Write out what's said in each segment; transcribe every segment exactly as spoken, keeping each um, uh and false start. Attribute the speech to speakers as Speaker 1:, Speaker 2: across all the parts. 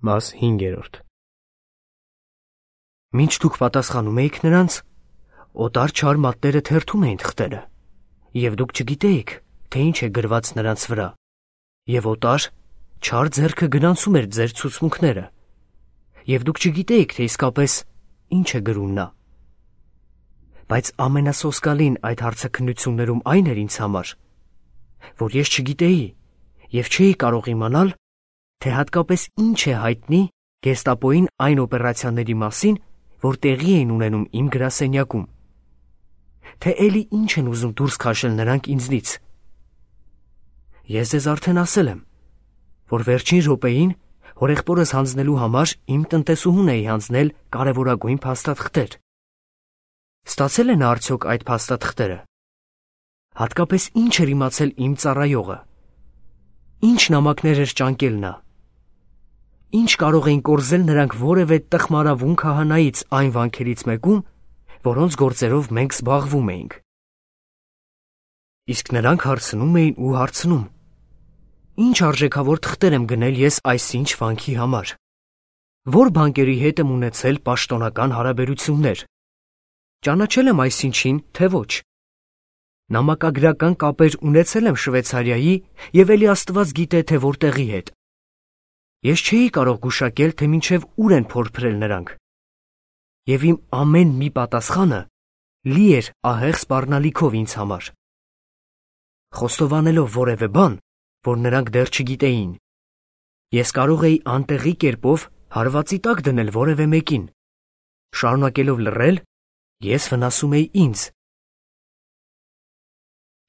Speaker 1: Մաս հինգերորդ Մինչ դուք պատասխանում էիք նրանց, օտար չար մատները թերթում էին թղթերը, և դուք չգիտեիք, թե ինչ է գրված նրանց վրա, և օտար չար ձեռքը գնանցում էր ձեր ցուցմունքները, և դուք չգիտեիք, թե իսկապես ինչ է գրում նա։ Բայց ամենասոսկալին այդ հարցաքննություններում այն էր ինձ համար, որ ես չգիտեի և չէի կարող իմանալ, թե հատկապես ինչ է հայտնի գեստապոյին այն օպերացիաների մասին, որ տեղի էին ունենում իմ գրասենյակում, թե էլի ինչ են ուզում դուրս քաշել նրանք ինձնից։ Ես ձեզ արդեն ասել եմ, որ վերջին րոպեին հորեղբորս հանձնելու համար իմ տնտեսուհուն էի հանձնել կարևորագույն փաստաթղթեր։ Ստացել է նա արդյոք այդ փաստաթղթերը։ Հատկապես ինչ էր իմացել իմ ծառայողը։ Ինչ նամակներ էր ճանկել նա։ Ինչ կարող էին կորզել նրանք որևէ տխմարավուն քահանայից այն վանքերից մեկում, որոնց գործերով մենք զբաղվում էինք։ Իսկ նրանք հարցնում էին ու հարցնում. Ինչ արժեքավոր թղթեր եմ գնել ես այսինչ վանքի համար։ Որ բանկերի հետ եմ ունեցել պաշտոնական հարաբերություններ։ Ճանաչել եմ այսինչին, թե ոչ։ Նամակագրական կապեր ունեցել եմ Շվեյցարիայի և էլի Աստված գիտե, թե որտեղի հետ։ Ես չէի կարող գուշակել, թե մինչև ուր են փորփրել նրանք։ Եվ իմ ամեն մի պատասխանը լի էր ահեղ սպառնալիքով ինձ համար։ Խոստովանելով որևէ բան, որ նրանք դեռ չգիտեին, ես կարող էի անտեղի կերպով հարվածի տակ դնել որևէ մեկին։ Շարունակելով լռել, ես վնասում էի ինձ։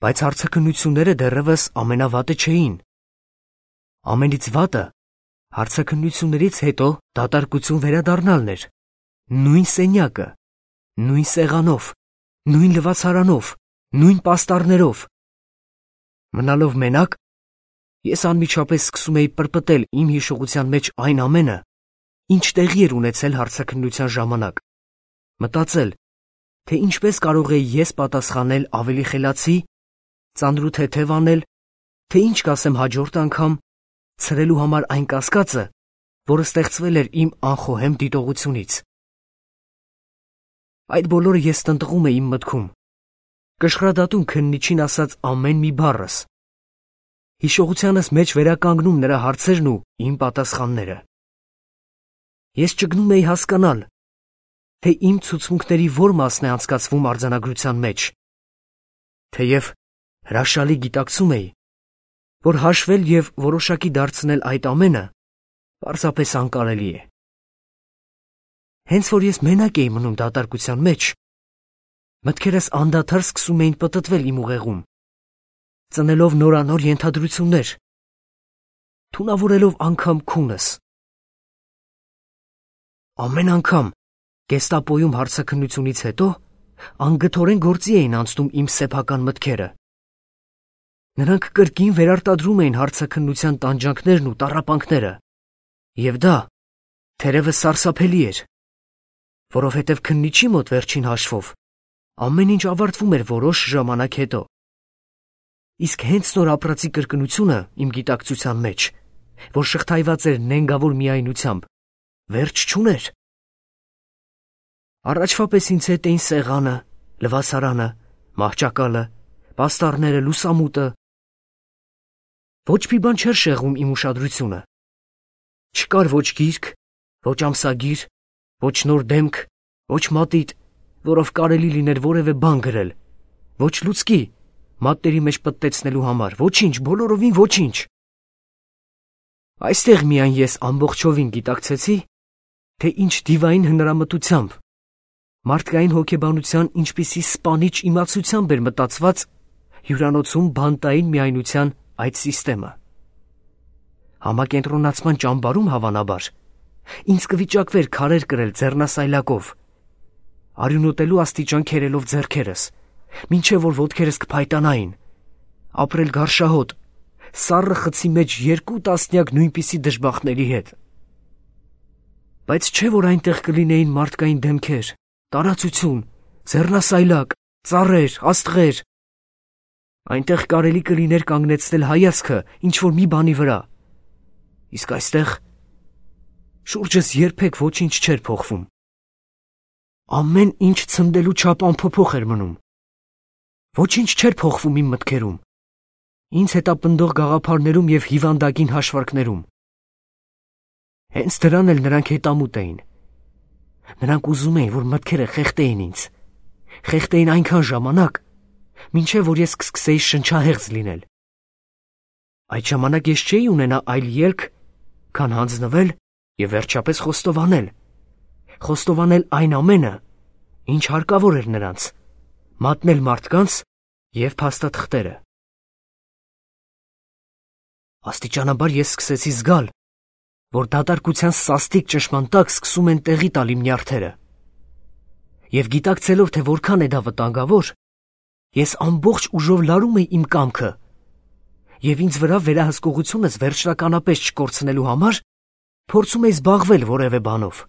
Speaker 1: Բայց հարցաքննությունները դեռևս ամենավատը չէին։ Ամենից վատը հարցաքննություններից հետո դատարկություն վերադառնալն էր, նույն սենյակը, նույն սեղանով, նույն լվացարանով, նույն պաստառներով։ Մնալով մենակ, ես անմիջապես սկսում էի պրպտել իմ հիշողության մեջ այն ամենը, ինչ տեղի էր ունեցել հարցաքննության ժամանակ, մտածել, թե ինչպես կարող էի ես պատասխանել ավելի խելացի, ծանրութեթև անել, թե ինչ կասեմ հաջորդ անգամ, ցրելու համար այն կասկածը, որը ստեղծվել էր իմ անխոհեմ դիտողությունից։ Այդ բոլորը ես տնտղում էի իմ մտքում, կշռադատում քննիչին ասած ամեն մի բառս, հիշողությանս մեջ վերականգնում նրա հարցերն ու իմ պատասխանները։ Ես ճգնում էի հասկանալ, թե իմ ցուցմունքների որ մասն է անցկացվում արձանագրության մեջ, թեև հրաշալի գիտակցում էի, որ հաշվել և որոշակի դարձնել այդ ամենը պարզապես անկարելի է։ Հենց որ ես մենակ էի մնում դատարկության մեջ, մտքերս անդադար սկսում էին պտտվել իմ ուղեղում, ծնելով նորանոր ենթադրություններ, թունավորելով անգամ քունս։ Ամեն անգամ գեստապոյում հարցաքննությունից հետո անգթորեն գործի էին անցնում իմ սեփական մտքերը։ Նրանք կրկին վերարտադրում էին հարցաքննության տանջանքներն ու տառապանքները, և դա թերևս սարսափելի էր, որովհետև քննիչի մոտ վերջին հաշվով ամեն ինչ ավարտվում էր որոշ ժամանակ հետո։ Իսկ հենց նոր ապրածի կրկնությունը իմ գիտակցության մեջ, որ շղթայված էր նենգավոր միայնությամբ, վերջ չուներ։ Առաջվա պես ինձ հետ էին սեղանը, լվացարանը, մահճակալը, պաստառները, լուսամուտը։ Ոչ մի բան չէր շեղում իմ ուշադրությունը։ Չկար ոչ գիրք, ոչ ամսագիր, ոչ նոր դեմք, ոչ մատիտ, որով կարելի լիներ որևէ բան գրել, ոչ լուցկի, մատների մեջ պտտեցնելու համար, ոչինչ, բոլորովին ոչինչ։ Այստեղ միայն ես ամբողջովին գիտակցեցի, թե ինչ դիվային հնարամտությամբ, մարդկային հոգեբանության ինչպիսի սպանիչ իմացությամբ էր մտածված հյուրանոցում բանտային միայնության այդ սիստեմը։ Համակենտրոնացման ճամբարում հավանաբար ինձ կվիճակվեր քարեր կրել ձեռնասայլակով, արյունոտելու աստիճան քերելով ձեռքերս, մինչև որ ոտքերս կփայտանային, ապրել գարշահոտ, սառը խցի մեջ երկու տասնյակ նույնպիսի դժբախտների հետ։ Բայց չէ որ այնտեղ կլինեին մարդկային դեմքեր, տարածություն, ձեռնասայլակ, ծառեր, աստղեր։ Այնտեղ կարելի կլիներ կանգնեցնել հայացքը ինչ-որ մի բանի վրա, իսկ այստեղ Շուրջս երբեք ոչինչ չէր փոխվում։ Ամեն ինչ ցնդելու չափ անփոփոխ էր մնում։ Ոչինչ չէր փոխվում իմ մտքերում, ինձ հետապնդող գաղափարներում և հիվանդագին հաշվարկներում։ Հենց դրան էլ նրանք հետամուտ էին։ Նրանք ուզում էին, որ մտքերը խեղդեին ինձ, խեղդեին այնքան ժամանակ, մինչև որ ես կսկսեի շնչահեղձ լինել։ Այդ ժամանակ ես չէի ունենա այլ ելք, քան հանձնվել և վերջապես խոստովանել, խոստովանել այն ամենը, ինչ հարկավոր էր նրանց, մատնել մարդկանց և փաստաթղթերը։ Աստիճանաբար ես սկսեցի զգալ, որ դատարկության սաստիկ ճնշման տակ սկսում են տեղի տալ իմ նյարդերը։ Եվ գիտակցելով, թե որքան է դա վտանգավոր, ես ամբողջ ուժով լարում էի իմ կամքը և ինձ վրա վերահսկողությունս վերջնականապես չկորցնելու համար փորձում էի զբաղվել որևէ բանով։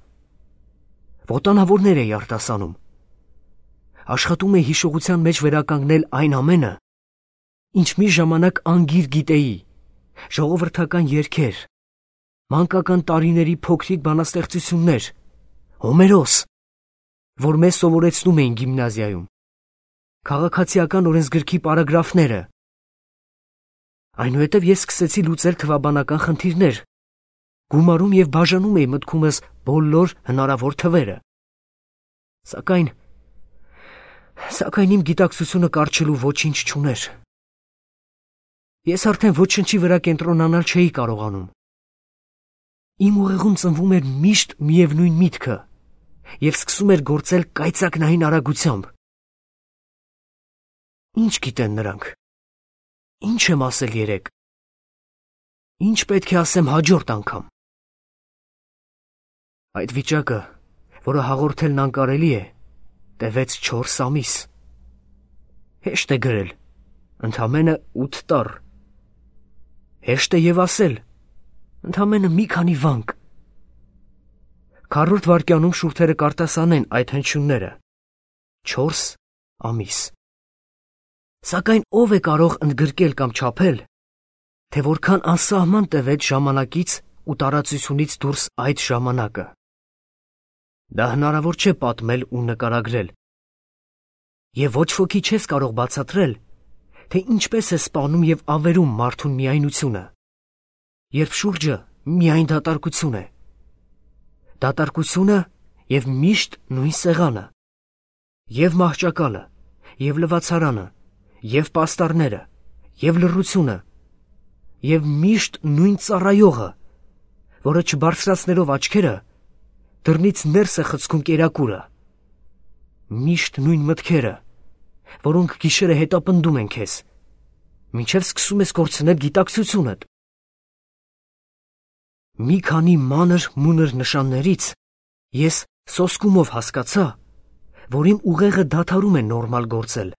Speaker 1: Ոտանավորներ էի արտասանում։ Աշխատում էի հիշողության մեջ վերականգնել այն ամենը, ինչ մի ժամանակ անգիր գիտեի, ժողովրդական երգեր, մանկական տարիների փոքրիկ բանաստեղծություններ, Հոմերոս, որ մեզ սովորեցնում էին գիմնազիայում, քաղաքացիական օրենսգրքի պարագրաֆները։ Այնուհետև ես սկսեցի լուծել թվաբանական խնդիրներ, գումարում և բաժանում էի մտքումս բոլոր հնարավոր թվերը։ Սակայն, սակայն իմ գիտակցությունը կառչելու ոչինչ չուներ։ Ես արդեն ոչնչի վրա կենտրոնանալ չէի կարողանում։ Իմ ուղեղում ծնվում էր միշտ միևնույն միտքը և սկսում էր գործել կայծակնային արագությամբ։ Ինչ գիտեն նրանք։ Ինչ եմ ասել երեկ։ Ինչ պետք է ասեմ հաջորդ անգամ։ Այդ վիճակը, որը հաղորդելն անկարելի է, տևեց չորս ամիս։ Հեշտ է գրել, ընդամենը ութ տառ։ Հեշտ է և ասել, ընդամենը մի քանի վանք։ Քառորդ վայրկյանում շուրթերը կարտասանեն այդ հնչյունները։ Չորս ամիս։ Սակայն ով է կարող ընդգրկել կամ չափել, թե որքան անսահման տևեց ժամանակից ու տարածությունից դուրս այդ ժամանակը։ Դա հնարավոր չէ պատմել ու նկարագրել։ Եվ ոչ ոքի չես կարող բացատրել, թե ինչպես է սպանում և ավերում մարդուն միայնությունը, երբ շուրջը միայն դատարկություն է։ Դատարկությունը և միշտ նույն սեղանը, և մահճակալը, և լվացարանը, և պաստառները, և լռությունը, և միշտ նույն ծառայողը, որը չբարձրացնելով աչքերը, դռնից ներս է խցքում կերակուրը, միշտ նույն մտքերը, որոնք գիշերը հետապնդում են քեզ, մինչև սկսում ես կորցնել գիտակցությունդ։ Մի քանի մանր-մունր նշաններից ես սոսկումով հասկացա, որ իմ ուղեղը դադարում է նորմալ գործել։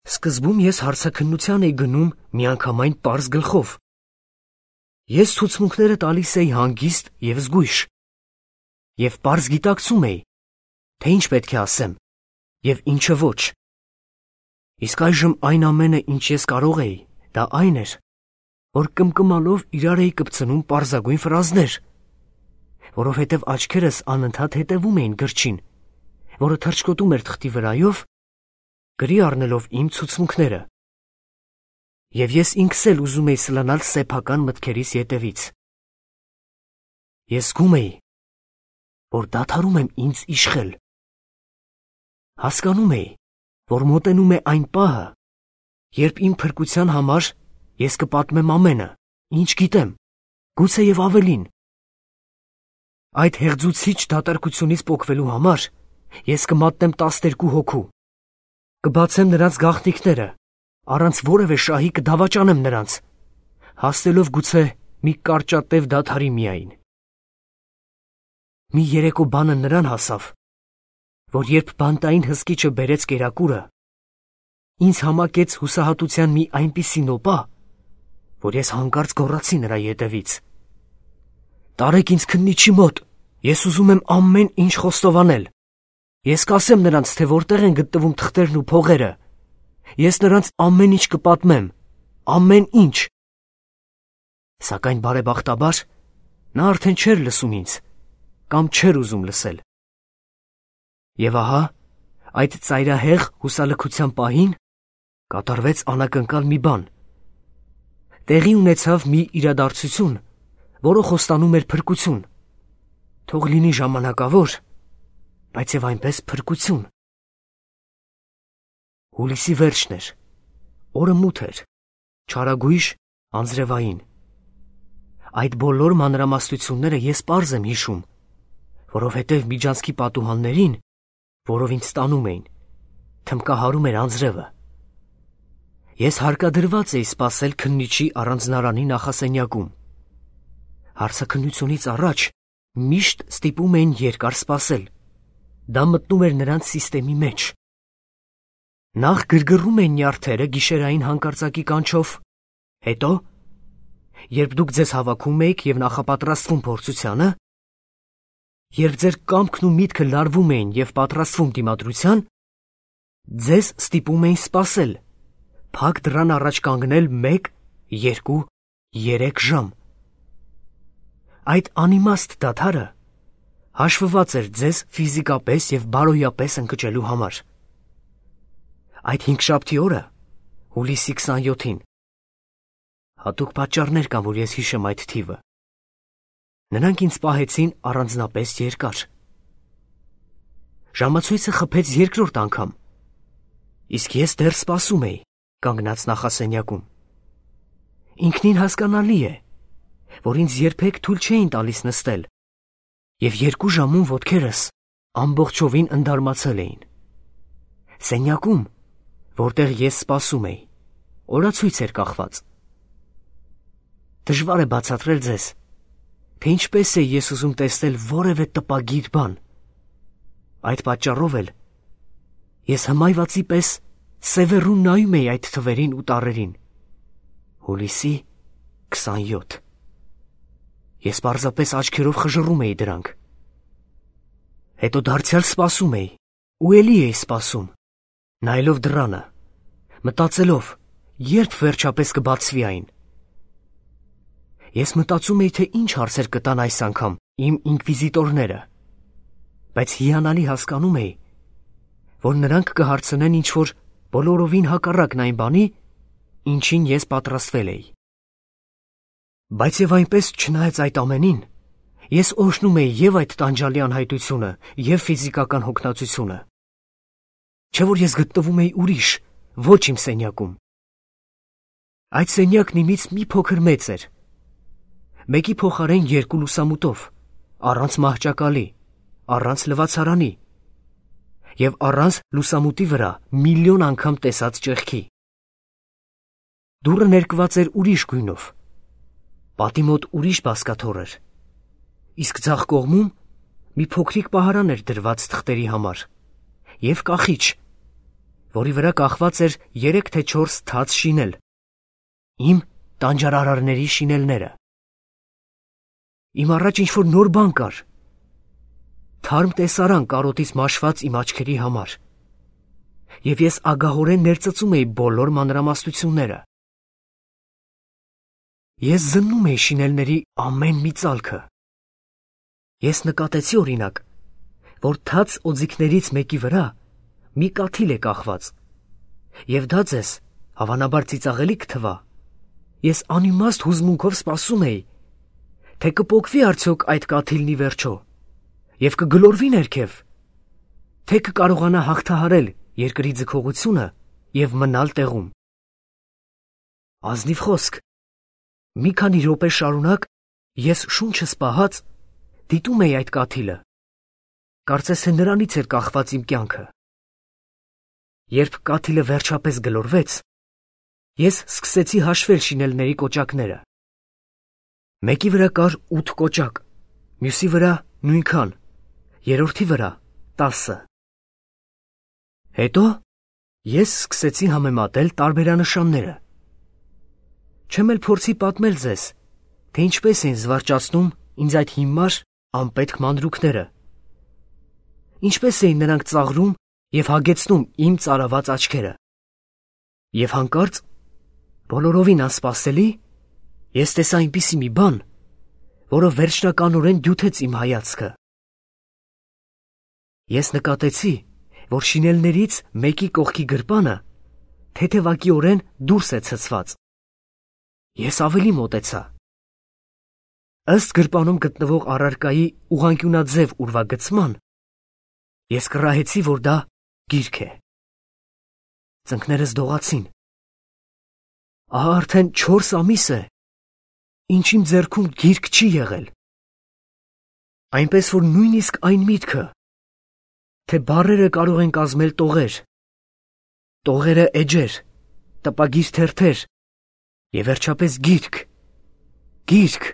Speaker 1: Սկզբում ես հարցաքննության էի գնում միանգամայն պարզ գլխով։ Ես ցուցմունքները տալիս էի հանգիստ և զգույշ, և պարզ գիտակցում էի, թե ինչ պետք է ասեմ և ինչը ոչ։ Իսկ այժմ այն ամենը, ինչ ես կարող էի, դա այն էր, որ կմկմալով իրար էի կպցնում պարզագույն ֆրազներ, որովհետև աչքերս անընդհատ հետևում էին գրչին, որը թռչկոտում էր թղթի վրայով, գրի առնելով իմ ցուցմունքները։ Եվ ես ինքս էլ ուզում էի սլանալ սեփական մտքերիս ետևից։ Ես զգում էի, որ դադարում եմ ինձ իշխել։ Հասկանում էի, որ մոտենում է այն պահը, երբ իմ փրկության համար ես կպատմեմ ամենը, ինչ գիտեմ, գուցե և ավելին։ Այդ հեղձուցիչ դատարկությունից պոկվելու համար ես կմատնեմ տասներկու հոգու, կբացեմ նրանց գաղտնիքները, առանց որևէ շահի կդավաճանեմ նրանց, հասնելով գուցե մի կարճատև դադարի միայն։ Մի երեկո բանը նրան հասավ, որ երբ բանտային հսկիչը բերեց կերակուրը, ինձ համակեց հուսահատության մի այնպիսի նոպա, որ ես հանկարծ գոռացի նրա ետևից. «Տարեք ինձ քննիչի մոտ, ես ուզում եմ ամեն ինչ խոստովանել։ Ես կասեմ նրանց, թե որտեղ են գտնվում թղթերն ու փողերը։ Ես նրանց ամեն ինչ կպատմեմ, ամեն ինչ»։ Սակայն բարեբախտաբար Նա արդեն չէր լսում ինձ, կամ չէր ուզում լսել։ Եվ ահա, այդ ծայրահեղ հուսալքության պահին կատարվեց անակնկալ մի բան։ Տեղի ունեցավ մի իրադարձություն, որը խոստանում էր փրկություն։ Թող լինի ժամանակավոր, բայց եւ այնպես փրկություն։ Հուլիսի վերջն էր, օրը մութ էր, չարագույժ, անձրևային։ Այդ բոլոր մանրամասնությունները ես պարզ եմ հիշում, որովհետև Միջանցքի պատուհաններին, որով ինձ տանում էին, թմկահարում էր անձրևը։ Ես հարկադրված էի սպասել քննիչի առանձնարանի նախասենյակում։ Հարցաքննությունից առաջ միշտ ստիպում էին երկար սպասել։ Դա մտնում էր նրանց սիստեմի մեջ։ Նախ գրգռում էին նյարդերը գիշերային հանկարծակի կանչով, հետո, երբ դուք ձեզ հավաքում էիք և նախապատրաստվում փորձությանը, երբ ձեր կամքն ու միտքը լարվում էին և պատրաստվում դիմադրության, ձեզ ստիպում էին սպասել, փակ դռան առաջ կանգնել մեկ, երկու, երեք ժամ։ Այդ անիմաստ դադարը հաշվված էր ձեզ ֆիզիկապես և բարոյապես ընկճելու համար։ Այդ հինգշաբթի օրը, հուլիսի քսանյոթին, հատուկ պատճառներ կան, որ ես հիշեմ այդ թիվը, նրանք ինձ պահեցին առանձնապես երկար։ Ժամացույցը խփեց երկրորդ անգամ, իսկ ես դեռ սպասում էի, կանգնած նախասենյակում։ Ինքնին հասկանալի է, որ ինձ երբեք թույլ չէին տալիս նստել, և երկու ժամում ոտքերս ամբողջովին ընդարմացել էին։ Սենյակում, որտեղ ես սպասում էի, օրացույց էր կախված։ Դժվար է բացատրել ձեզ, թե ինչպես է ես ուզում տեսնել որևէ տպագիր բան։ Այդ պատճառով էլ ես հմայվածի պես սևեռուն նայում էի այդ թվերին ու տառերին։ Հուլիսի քսանյոթ։ Ես պարզապես աչքերով խժռում էի դրանք։ Հետո դարձյալ սպասում էի, ու էլի էի սպասում, նայելով դռանը, մտածելով, երբ վերջապես կբացվի այն։ Ես մտածում էի, թե ինչ հարցեր կտան այս անգամ իմ ինկվիզիտորները, բայց հիանալի հասկանում էի, որ նրանք կհարցնեն ինչ-որ բոլորովին հակառակն այն բանի, ինչին ես պատրաստվել էի։ Բայց և այնպես, չնայած այդ ամենին, ես օրհնում էի և այդ տանջալի անհայտությունը, և ֆիզիկական հոգնածությունը։ Չէ՞ որ ես գտնվում էի ուրիշ, ոչ իմ սենյակում։ Այդ սենյակն իմից մի փոքր մեծ էր, մեկի փոխարեն երկու լուսամուտով, առանց մահճակալի, առանց լվացարանի և առանց լուսամուտի վրա միլիոն անգամ տեսած ճեղքի։ Դուռը ներկված էր ուրիշ գույնով, պատի մոտ ուրիշ բազկաթոռ էր, իսկ ձախ կողմում մի փոքրիկ պահարան էր դրված թղթերի համար և կախիչ, որի վրա կախված էր երեք թե չորս թաց շինել, իմ տանջարարարների շինելները։ Իմ առաջ ինչ-որ նոր բան կար, թարմ տեսարան կարոտից մաշված իմ աչքերի համար, և ես ագահորեն ներծծում էի բոլոր մանրամասնությունները։ Ես զննում էի շինելների ամեն մի ծալքը։ Ես նկատեցի, օրինակ, որ թաց օձիքներից մեկի վրա մի կաթիլ է կախված, և դա ձեզ հավանաբար ծիծաղելի կթվա։ Ես անիմաստ հուզմունքով սպասում էի, թե կպոկվի արդյոք այդ կաթիլն ի վերջո և կգլորվի ներքև, թե կկարողանա հաղթահարել երկրի ձգողությունը և մնալ տեղում։ Ազնիվ խոսք, մի քանի րոպե շարունակ ես շունչս պահած դիտում էի այդ կաթիլը, կարծես թե նրանից էր կախված իմ կյանքը։ Երբ կաթիլը վերջապես գլորվեց, ես սկսեցի հաշվել շինելների կոճակները։ Մեկի վրա կար ութ կոճակ, մյուսի վրա նույնքան, երրորդի վրա տասը։ Հետո ես սկսեցի համեմատել տարբերանշանները։ Չեմ էլ փորձի պատմել ձեզ, թե ինչպես էին զվարճացնում ինձ այդ հիմար, անպետք մանրուքները, ինչպես էին նրանք ծաղրում և հագեցնում իմ ծարաված աչքերը։ Եվ հանկարծ, բոլորովին անսպասելի, ես տեսա այնպիսի մի բան, որը վերջնականորեն դյութեց իմ հայացքը։ Ես նկատեցի, որ շինելներից մեկի կողքի գրպանը թեթևակիորեն դուրս է ցցված։ Ես ավելի մոտեցա։ Ըստ գրպանում գտնվող առարկայի ուղղանկյունաձև ուրվագծման, ես կռահեցի, որ դա գիրք է։ Ծնկներս դողացին։ Ահա արդեն չորս ամիս է, ինչ իմ ձեռքում գիրք չի եղել։ Այնպես որ նույնիսկ այն միտքը, թե բառերը կարող են կազմել տողեր, տողերը էջեր, տպագիր թերթեր և վերջապես գիրք, գիրք,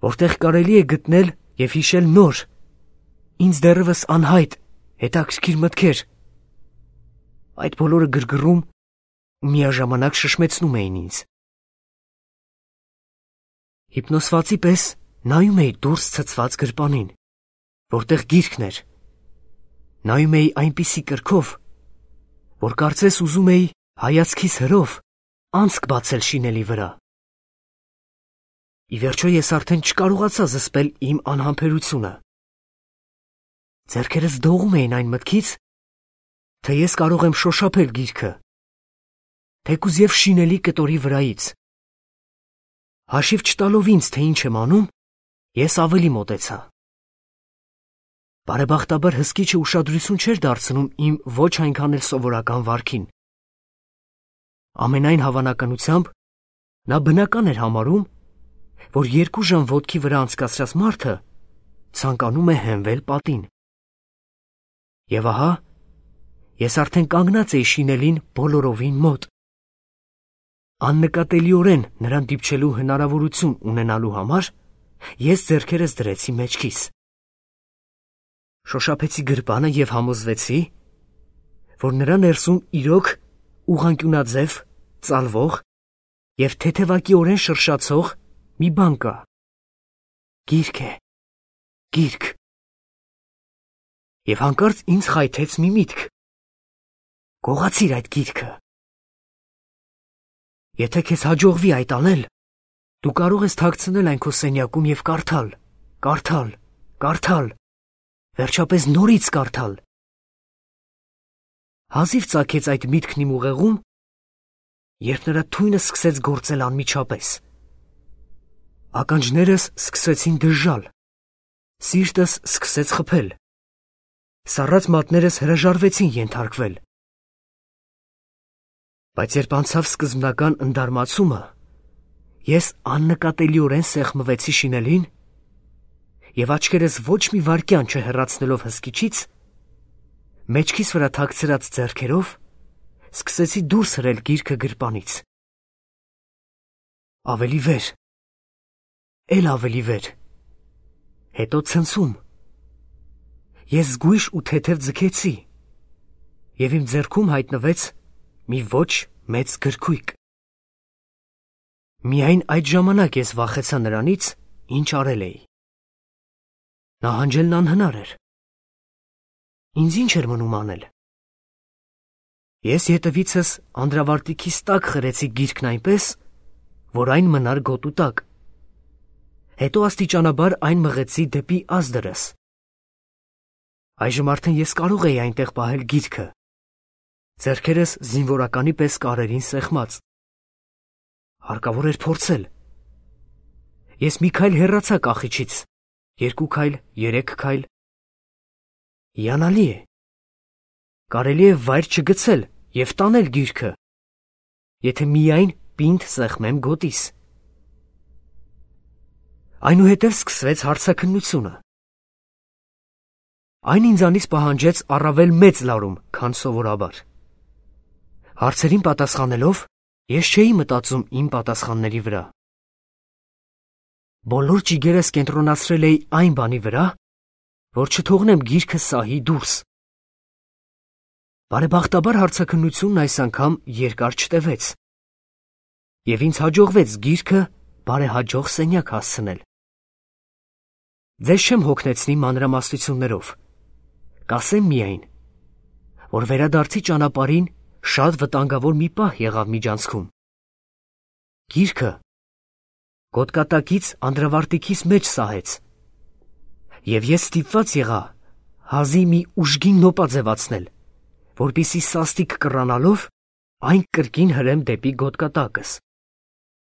Speaker 1: որտեղ կարելի է գտնել և հիշել նոր, ինձ դեռևս անհայտ, հետաքրքիր մտքեր, այդ բոլորը գրգռում ու միաժամանակ շշմեցնում էին ինձ։ Հիպնոսվածի պես նայում էի դուրս ցցված գրպանին, որտեղ գիրքն էր, նայում էի այնպիսի կրքով, որ կարծես ուզում էի հայացքիս հրով անցք բացել շինելի վրա։ Ի վերջո ես արդեն չկարողացա զսպել իմ անհամբերությունը։ Ձեռքերս դողում էին այն մտքից, թե ես կարող եմ շոշափել գիրքը, թեկուզ և շինելի կտորի վրայից։ Հաշիվ չտալով ինձ, թե ինչ եմ անում, ես ավելի մոտեցա։ Բարեբախտաբար հսկիչը ուշադրություն չէր դարձնում իմ ոչ այնքան էլ սովորական վարքին։ Ամենայն հավանականությամբ նա բնական էր համարում, որ երկու ժամ ոտքի վրա անցկացրած մարդը ցանկանում է հենվել պատին։ Եվ ահա, ես արդեն կանգնած էի շինելին բոլորովին մոտ։ Աննկատելիորեն նրան դիպչելու հնարավորություն ունենալու համար ես ձեռքերս դրեցի մեջքիս։ Շոշափեցի գրպանը և համոզվեցի, որ նրա ներսում իրոք ուղղանկյունաձև, ծալվող և թեթևակիորեն շրշացող մի բան կա։ Գիրք է, գիրք։ Եվ հանկարծ ինձ խայթեց մի միտք. գողացիր այդ գիրքը։ Եթե քեզ հաջողվի այդ անել, դու կարող ես թաքցնել այն քո սենյակում և կարդալ, կարդալ, կարդալ, վերջապես նորից կարդալ։ Հազիվ ծագեց այդ միտքն իմ ուղեղում, երբ նրա թույնը սկսեց գործել անմիջապես։ Ականջներս սկսեցին դժժալ, սիրտս սկսեց խփել, սառած մատներս հրաժարվեցին ենթարկվել։ Բայց երբ անցավ սկզբնական ընդարմացումը, ես աննկատելիորեն սեղմվեցի շինելին և աչքերս ոչ մի վայրկյան չհեռացնելով հսկիչից, մեջքիս վրա թաքցրած ձեռքերով սկսեցի դուրս հրել գիրքը գրպանից։ Ավելի վեր, էլ ավելի վեր, հետո ցնցում։ Ես զգույշ ու թեթև ձգեցի, և իմ ձեռքում հայտնվեց մի ոչ մեծ գրքույկ։ Միայն այդ ժամանակ ես վախեցա նրանից, ինչ արել էի։ Նահանջելն անհնար էր։ Ինձ ինչ էր մնում անել։ Ես ետևիցս անդրավարտիքիս տակ խրեցի գիրքն այնպես, որ այն մնար գոտու տակ։ Հետո աստիճանաբար այն մղեցի դեպի ազդրս։ Այժմ արդեն ես կարող էի այնտեղ պահել գիրքը, ձեռքերս զինվորականի պես կարերին սեղմած։ Հարկավոր էր փորձել։ Ես մի քայլ հեռացա կախիչից, երկու քայլ, երեք քայլ։ Հիանալի է։ Կարելի է վայր չգցել և տանել գիրքը, եթե միայն պինդ սեղմեմ գոտիս։ Այնուհետև սկսվեց հարցաքննությունը։ Այն ինձանից պահանջեց առավել մեծ լարում, քան սովորաբար։ Հարցերին պատասխանելով, ես չէի մտածում իմ պատասխանների վրա։ Բոլոր ճիգերս կենտրոնացրել էի այն բանի վրա, որ չթողնեմ գիրքը սահի դուրս։ Բարեբախտաբար հարցաքննությունն այս անգամ երկար չտևեց, և ինձ հաջողվեց գիրքը բարեհաջող սենյակ հասցնել։ Ձեզ չեմ հոգնեցնի մանրամասնություններով, կասեմ միայն, որ վերադարձի ճանապարհին շատ վտանգավոր մի պահ եղավ միջանցքում։ Գիրքը, գոտկատակից անդրավարտիքիս մեջ սահեց, և ես ստիպված եղա հազի մի ուժգին նոպա ձևացնել, որպեսզի սաստիկ կռանալով այն կրկին հրեմ դեպի գոտկատակս։